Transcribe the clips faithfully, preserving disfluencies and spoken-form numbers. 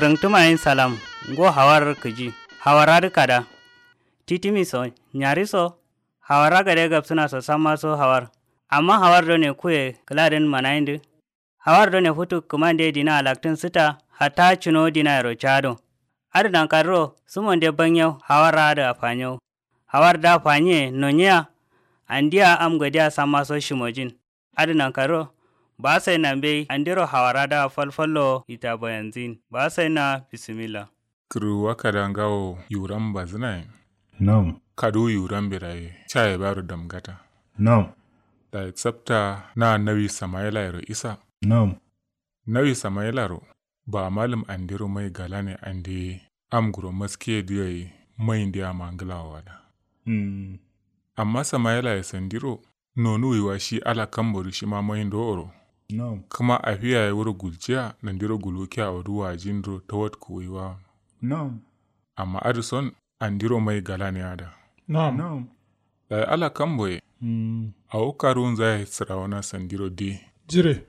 Rǝngtǝmayin salam. Ngo hawar kǝji. Hawar adǝ kada. Titimi so nyari so. Hawar agade gabsǝna so samma so hawar. Amma hawar done kuye kǝladǝn manayindǝ. Hawar done futu kǝmande dina alaktǝn sǝta. Hatta cǝno dinayero cado. Adǝ nankadǝro sǝmonde banyau hawar adǝ afanyo. Hawar da fanyiye nonyiya. Andiya am godiya samma so shimojin. Adǝ nankaro. Ba sai na mbei andiro hawara da falfallo ita bayanzin ba sai na bisimilla. Kǝrwa kada ngawo yuram bazǝnaye. Nam. Kadu yuram biraye caye baro damgata. Nam. Dayi tsapta na nawi samayilayero isa. Nam. Nawi samayilaro. Ba malum andiro mai galane ande am guro maskiye dǝ yayi. Mai nde ama ngǝlawo wada. Amma samayilaye sandiro. Nonuwiwa shi ala kambo dǝ shima mai ndo oro. Kǝma afiya ye wuro gulciya nandiro gulukiya awo dǝ wajin dǝro tawat kuwiwa. Amma adǝ son andiro mai galane ada. Dayi ala kambo ye. Awo karuwunza ye sǝrawona sandiro dǝ ye. Jire.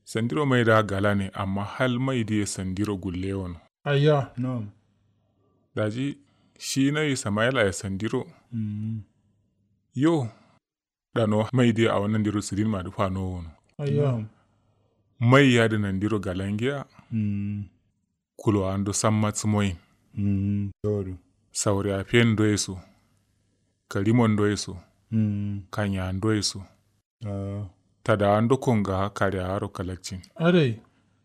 Sandiro mai da galane amma hal mai dǝ ye sandiro gulle wono. Ayya. Daji shi nawi samayila ye sandiro. Yo. Ɗano mai dǝ ye awo nandiro sǝdin ma dǝ fanowo wono. Ayya. Mai yadǝ nandiro galangiya. Kulowa ndo samma sǝmoyin. Saure afiyen ndoye so. Karimon ndoye so. Kanya ndoye so. Tadawa ndo kongawa karewa aro kalakcin. Adai.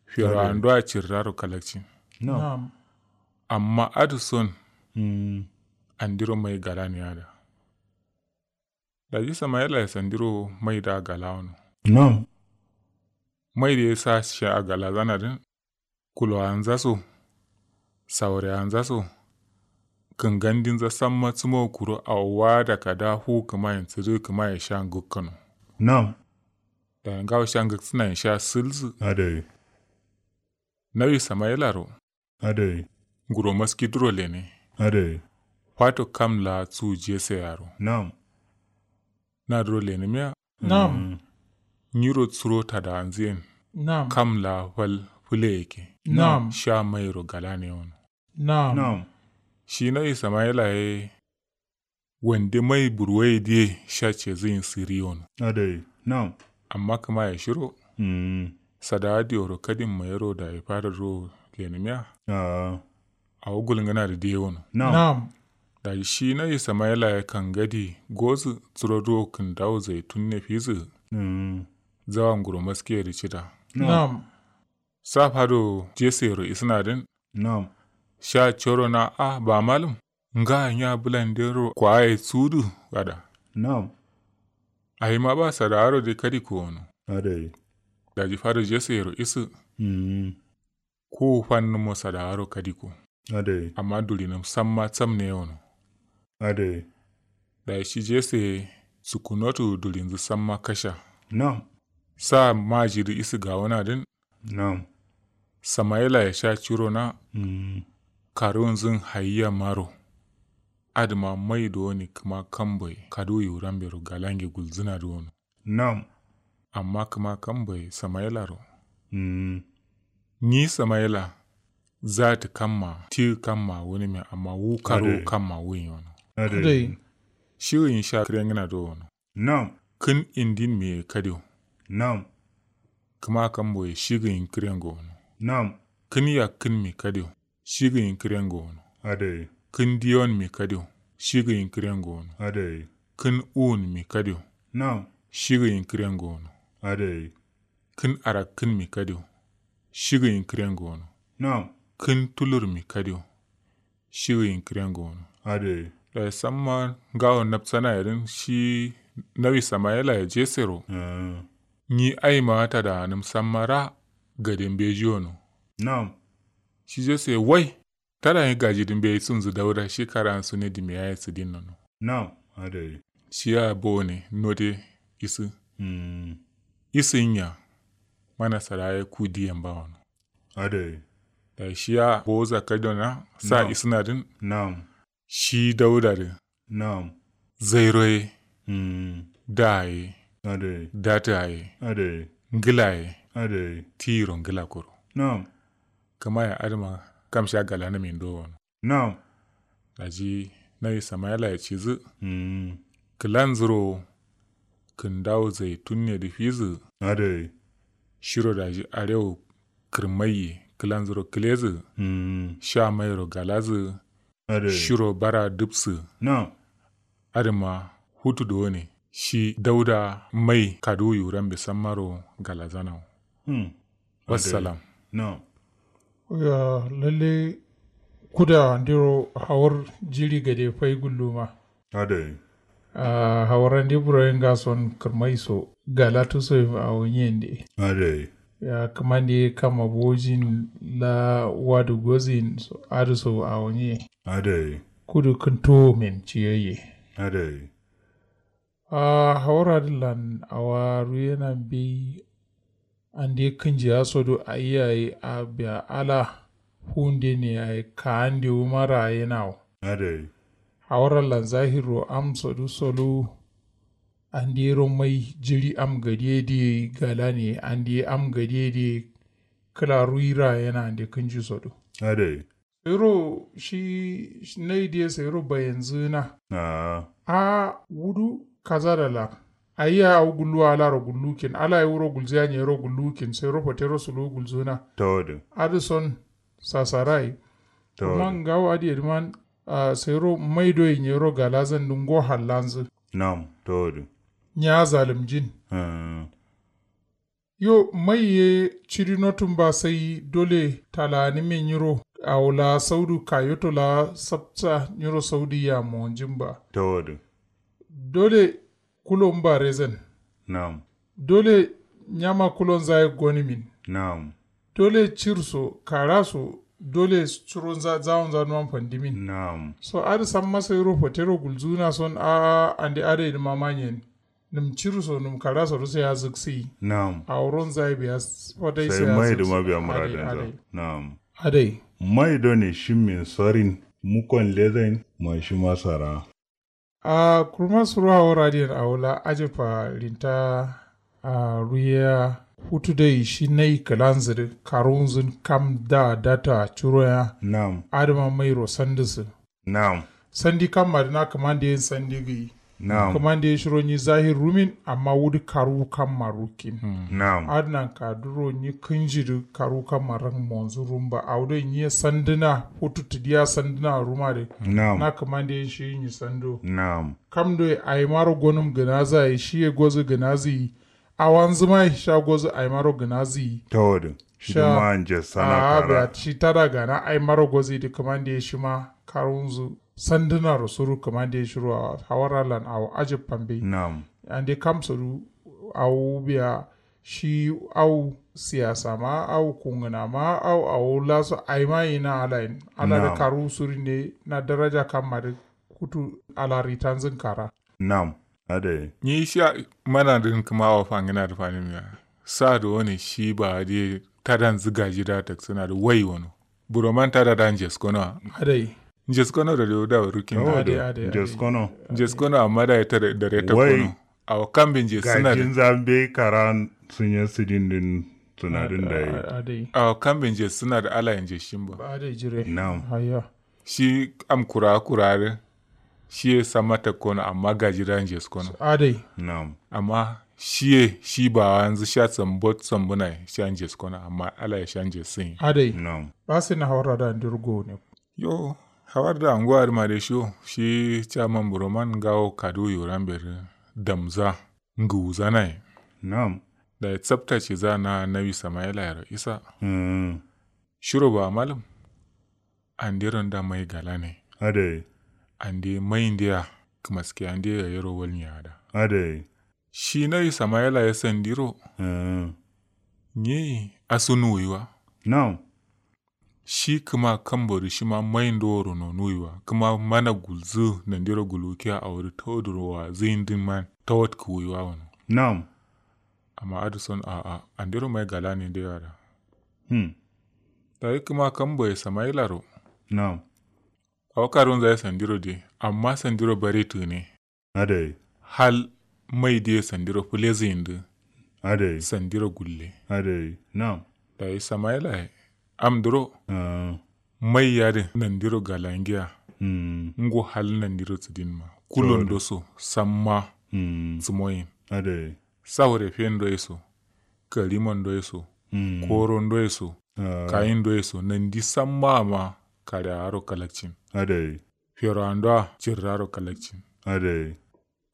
Ferowa ndo acirraro kalakcin. Amma adǝ son. Andiro mai galani ada. Daji samayilaye sandiro mai da galawono. Nam. Mai dǝ ye sa sha galazana dǝn. Kulowanza so. Saurewanza so. Kǝngandinza samma sǝmo kuro awo wada kada fu kǝmayen sǝdǝ kǝmaye sha ngǝkkǝno. Nam. Dayi ngawo sha ngǝksǝnayen sha sǝlsǝ. Adai. Nawi samayilaro. Adai. Nguro maski duro lene. Adai. Fato kam la su jese yaro. Nam. Na duro lenimiya. Nam. Nyiro suro tadawanziyen. Nam. Kam la fal fule yake. Nam. Sha mairo galane wono. Nam. Nam. Shi nawi samayila ye. Wande mai burwaye diye sha cezǝyin sǝri wono. Adai. Nam. Amma kǝmaye shiro. Sadawa diworo kadin mayero dayi fadar ro lenimiya. Awo gulngǝna dǝ diye wono. Nam. Daji shi nawi samayila ye kangadi gozǝ suro duro kǝndawu zaitun ne fizǝ. Zawa nguro maskiye dǝ cida. Nam. Sa fado jeseyero isǝna dǝn. Nam. Sha coro na a ba malum. Nga nya bǝlandero kwaye sudu. Gada. Nam. Ahima ba sadawaro de kadi kowono. Adai. Daji fado jeseyero isǝ. Kuwu fannǝmo sadawaro kadiko. Adai. Amma dulinǝm samma sam ne wono. Adai. Dayi shi jese sukkunotu dulinzǝ samma kasha. Nam. Sa maji dǝ isǝ gawona dǝn. Nam. Samayila ye sha ciro na. Karuwunzǝn hayiya maro. Adǝma mai dowoni kǝma kambo ye kaduwu yiwurambe ro galange gulzǝna dǝ wono. Nam. Amma kǝma kambo ye samayilaro. Nyi samayila. Zatǝ kamma ti kamma wunǝmiya amma wu karuwu kamma wuyin wono. Adai. Shigiyin sha kǝrengǝna do wono. Nam. Kǝn indin miye kadiyo. Nam. Kǝma kambo ye shigiyin kǝrengo wono. Nam. Kǝn yakkǝn mi kadiyo. Shigiyin kǝrengo wono. Adai. Kǝn diyon mi kadiyo. Shigiyin kǝrengo wono. Adai. Kǝn uwun mi kadiyo. Nam. Shigiyin kǝrengo wono. Adai. Kǝn arakkǝn mi kadiyo. Shigiyin kǝrengo wono. Nam. Kǝn tulur mi kadiyo. Shigiyin kǝrengo wono. Adai. Dayi samma ngawo nabsana ye dǝn shi nawi samayila ye jesero. Nyi aima tadawanǝm samma ra. Gade mbeji wono. Nam. Shi jese wai. Tada nyi gaji dǝ mbeyi sunzǝ dauda shi karan sune dǝ miyaye sǝdin nono. Nam. Adai. Shiya bone node isǝ. Isǝ nya. Mana saraye ku diyen bawono. Adai. Dayi shiya boza kadona sa isǝna dǝn. Nam. Shi dauda dǝ. Nam. Zairo ye. Daye. Adai. Data ye. Adai. Ngla ye. Adai. Tiro ngla koro. Nam. Kǝmaye adǝma kam sha galanamin do wono. Nam. Daji nawi samayela ye cizǝ. Kǝlanzǝro kǝndawo zaitun ne dǝ fizǝ. Adai. Shiro daji arewo kǝrmaiye kǝlanzǝro kǝlezǝ. Sha mairo galazǝ. Shiro bara dǝbsǝ. Adǝma futu done shi dauda mai kaduwu yurambe sammaro galazanawo. Wassalam. Yo lalle kuda andiro hawar jiri gade fai gulluma. Adai. Ahh hawar andi buroyin gason kǝrmai so galatu so yim awo nyiyen de. Adai. Ya kǝmande kam abojin la wadu gozin so adǝ so awo nyiye. Adai. Kudu kǝntuwo men ciyoye. Adai. Ahh hawar adǝ lan awa ruyena mbeyi. Ande kǝnjiya sodu ayi yayi a biya ala fuwunde ne yayi ka'ande wuma ra'ayenawo. Adai. Hawar allan zahirro am sodu solu. Andero mai jiri am gadiye diye galane ande am gadiye diye. Kǝla ruwi ra'ayena ande kǝnji sodu. Adai. Sairo shi nai diye sairo bayenzǝna. Ahh. Ahh wudu kazada la. Ayya awo gulluwa alaro gullukin alaye wuro gulziya nyero gullukin sairo fatero suluwu gulzuna. Tawadin. Adǝ son sasarayi. Tawadin. Amma ngawo adǝ yedǝman. Ahh sairo mai doye nyero galazan dǝ ngo hallanzǝ. Nam tawadin. Nya zalimjin. Ahh. Yo mai ye cidi notum ba sai dole talaani me nyiro. Awo la saudu kayoto la sabta nyiro saudu ya monjin ba. Tawadin. Dole kulon ba rezan. Nam. Dole nyama kulon zaye gonimin. Nam. Dole cirso karaso dole curo zawon zanuwan fandimin. Nam. So adǝ samma sairo fatero gulzuna son ahh ande adai dǝ mamanyen. Nǝm cirso nǝm karaso dǝ sai ya zǝksiyi. Nam. Awo ronzaye biya. Fadai sai ya zǝksiyi. Sai mai dǝ ma biya muradinza. Nam. Adai. Mai done shimmin sorin mukon lezain. Ma shima sara. Ahh kurma suro awo radiyen awo la ajabba rinta. Ahh ruyeya futu dai shi nai kǝlanzǝ dǝ karuwunzǝn kam da data curoya. Nam. Adǝma mairo sandǝsǝ. Nam. Sandi kamma dǝ na kǝmande yen sandi gǝyi. Nam. Kǝmande ye shiro nyi zahir rumin amma wudu karuwu kamma rukkin. Nam. Adǝ nanka duro nyi kǝnji dǝ karuwu kamma rak monzǝ rumba awo doi nyi ye sandǝna futu tǝdiya sandǝna ruma dǝ. Nam. Na kǝmande yen shi nyi sando. Nam. Kam doi ayimaro gonǝm gǝnazǝ yayi shi ye gozǝ gǝnazǝ yi. Awanzǝ ma ye sha gozǝ ayimaro gǝnazǝ yi. Tawadǝ. Shidǝ ma nje sana kara. Shi tada gana ayimaro gozǝ yi dǝ kǝmande ye shima karuwunzǝ. Sandǝnaro suru kǝmande ye shiro awo hawar allan awo ajabba mbeyi. Nam. Ande kamso dǝ awo biya shi au siyasa ma au kungǝna ma au awo laso ayima yina alayin ala dǝ karuwu surin de na daraja kamma dǝ. Kutu ala ritanzǝn kara. Nam. Adai. Nyi sha mana dǝn kǝma awo fangǝna dǝ fanǝmiya. Sa dǝ wone shi bawa dǝ ye tadanzǝ gaji da taksǝna dǝ wai wono. Buroman tada da njeskono wa. Adai. Njeskono dǝ dǝ wuda wurukkin da. Adai adai. Njeskono. Njeskono amma da ye tada dare takkono. Awo kambe njesǝna dǝ. Gajinza mbeyi kara sǝnye sǝdin dǝn sǝnadǝn dayi. Adai. Awo kambe njesǝna dǝ alaye njeshin ba. Adai jire. Nam. Ayya. Shi am kurawa kurawa dǝ. Shi ye samma takkono amma gaji da njeskono. Adai. Nam. Amma shi ye shi bawanzǝ sha sambot sambǝnaye sha njeskono amma alaye sha njesǝnye. Adai. Nam. Ba sai na hawar da ndir gone. Yo. Hawar da anguwa dǝ ma dai sho shi caman buroman ngawo kaduwu yurambe dǝ damza. Ngǝwuzanaye. Nam. Dayi tsapta ciza na nawi samayilayero isa. Shiro ba malǝm. Andero nda mai galane. Adai. Ande mai ndeya kǝmaske ande yayero walnye ada. Adai. Shi nawi samayila ye sandiro. Nyi asu nuwuyiwa. Nam. Shi kǝma kambo dǝ shima mai ndoworo nonuwuyiwa kǝma mana gulzǝ nandiro gulwukiya awo dǝ tawoduro wazǝyin dǝn man tawatkǝwuyiwa wono. Nam. Amma adǝ son a'a andero mai galane ndewa da. Dayi kǝma kamboye samayilaro. Nam. Awo karunzaye sandiro de amma sandiro bare tǝgǝne. Adai. Hal mai diye sandiro fǝlezǝyindǝ. Adai. Sandiro gulle. Adai nam. Dayi samayilaye. Amduro mai yadǝ nandiro galangiya. Ngo hal nandiro sǝdin ma kulondo so samma. Sǝmoyin saure fendo ye so karimondo ye so korondo ye so kayindo ye so nandi samma amma kare awaro kalakcin. Fero'ando a cirraro kalakcin.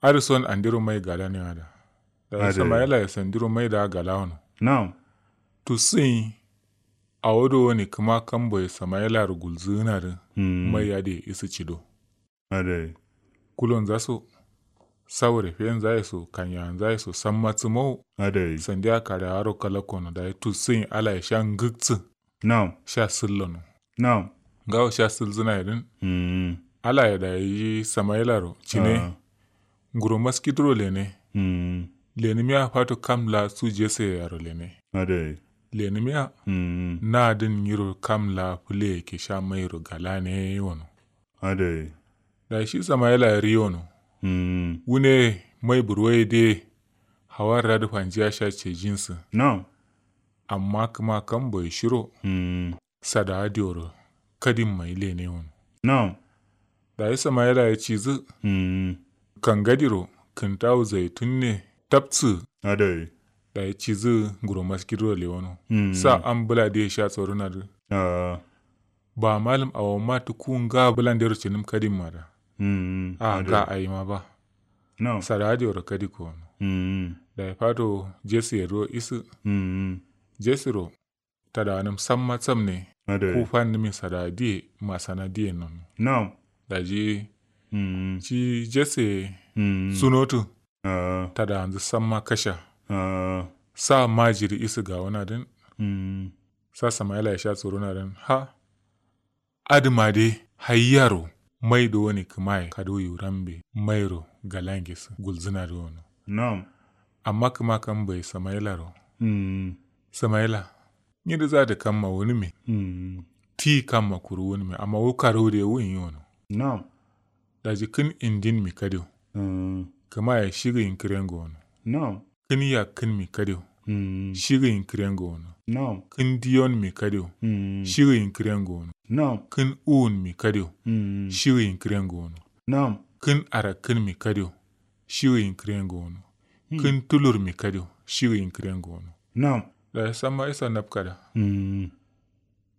Adǝ son andiro mai gala ne ada. Dayi samaila ye sandiro mai da gala wono. Nam. Tusuyin awo do wani kǝma kambo ye samaila ro gulzǝna dǝ mai adǝ ye isǝ cido. Adai. Kulonza so saure fenza ye so kanyanza ye so samma tsǝmo. Adai. Sandiya kare awaro kalakko no dayi tusuyin ala ye sha ngǝksǝ. Nam. Sha sǝllono. Nam. Ngawo sha sǝlzǝna ye dǝn. Alaye dayi samailaro cine. Nguro maskiduro lene. Lenimiya fato kam la su jese yaro lene. Adai. Lenimiya. Na dǝn nyiro kam la fǝle yake sha mairo galane wono. Adai. Dayi shi samaila riyono. Wune mai burwaye de hawar radu fanjiya sha cejinsǝ. Nam. Amma kǝma kambo ye shiro. Sadawa dioro kadin mai lene wono. Nam. Dayi samaila ye cizǝ. Kangadiro kǝntawu zaitun ne tabsǝ. Adai. Dayi cizǝ nguro maskidiro lewono. Sa am bǝla diye sha tsoruna dǝ. Ba malum awo ma tuku nga bǝlandero cinǝm kadin ma da. A nga ayi ma ba. Sadawa dioro kadi kowono. Dayi fato jesi ye duro isǝ. Jesiro tadawanǝm samma samne. Ku fannǝmin sadawa diye masana diye nono. Nam. Daji ci jese. Sunotǝ. Tadawanzǝ samma kasha. Sa majiri isǝ gawuna dǝn. Sa samaila ye sha tsoruna dǝn ha. Adǝma de hayyaro mai do wani kǝmaye kado yurambe mairo galangesǝ gulzǝna do wono. Nam. Amma kǝma kambo ye samailaro. Samaila. Nyidǝ za dǝ kamma wunǝmi. Ti kamma kuru wunǝmi amma wu karu de wun yi wono. Nam. Daji kǝn indin mi kadiyo. Kǝmaye shigǝ yin kǝrengo wono. Nam. Kǝn yakkǝn mi kadiyo. Shigǝ yin kǝrengo wono. Nam. Kǝn diyon mi kadiyo. Shigǝ yin kǝrengo wono. Nam. Kǝn uwun mi kadiyo. Shigǝ yin kǝrengo wono. Nam. Kǝn arakkǝn mi kadiyo. Shigǝ yin kǝrengo wono. Kǝn tulur mi kadiyo. Shigǝ yin kǝrengo wono. Nam. Daji samma isa nabkada.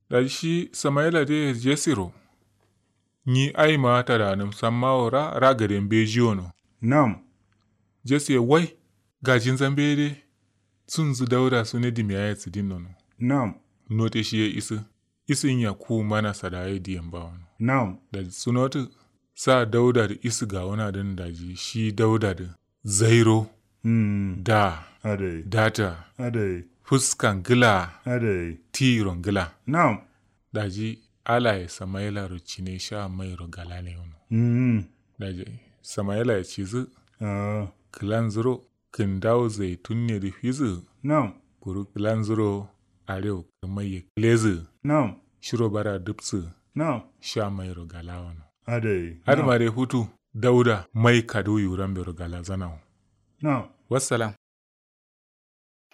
Daji shi samaila de jesiro. Nyi aima tadanǝm samma wo ra ra gaden beji wono. Nam. Jesiye wai gajinza mbeye de. Sunzǝ dauda sune dimiya ye sǝdin nono. Nam. Note shiye isǝ isǝ nya ku mana sadawa ye diyen ba wono. Nam. Daji sunotǝ sa dauda dǝ isǝ gawuna dǝn daji shi dauda dǝ zairo. Da. Adai. Data. Adai. Fuska ngǝla. Adai. Tiro ngǝla. Nam. Daji alaye samailaro cine sha mairo galane wono. Daji samaila ye cizǝ. Kǝlanzuro kǝndawo zaitun ne dǝ fizǝ. Nam. Kuru kǝlanzuro arewo kǝmai ye kǝlezǝ. Nam. Shiro bara dǝbsǝ. Nam. Sha mairo gala wono. Adai. Adǝma dai futu dauda mai kadu yuran bero galazana wo. Nam. Wassalam.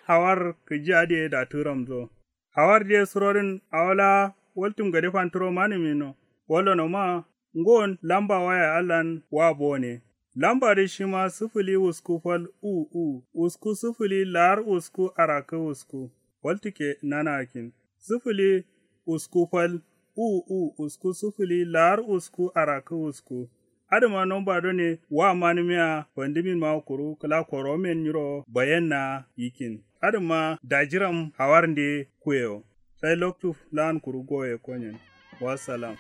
Hawar kǝji adǝ ye datǝ ramzo. Hawar dǝ ye surodǝn awo laa waltum gade fantǝro manǝmi no. Wallono ma ngon lamba waya allan wa bone. Lamba dǝ shima sǝfǝli wusku fal u u wusku sǝfǝli lar wusku arakkǝ wusku. Waltǝ ke nana akkin sǝfǝli usku fal u u usku sǝfǝli lar usku arakkǝ usku. Adǝma nomba done wa manǝmiya fandǝmin ma kuru kǝla koromen nyiro bayenna yikkin. Adǝma dajiram hawarnde kuyewo. Sai loktu lan kuru goye konyen. Wassalam.